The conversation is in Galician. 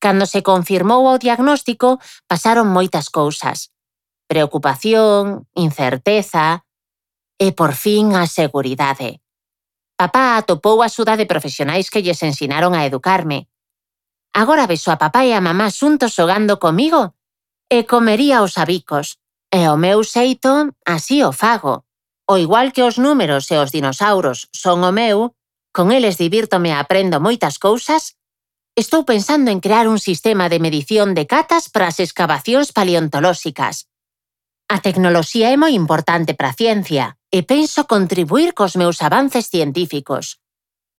Cando se confirmou o diagnóstico, pasaron moitas cousas. Preocupación, incerteza e, por fin, a seguridade. Papá atopou a axuda de profesionais que lles ensinaron a educarme. Agora vexo a papá e a mamá xuntos xogando comigo e comería os abicos. E o meu xeito, así o fago. O igual que os números e os dinosauros son o meu, con eles divírtome e aprendo moitas cousas, estou pensando en crear un sistema de medición de catas para as escavacións paleontolóxicas. A tecnoloxía é moi importante para a ciencia e penso contribuir cos meus avances científicos.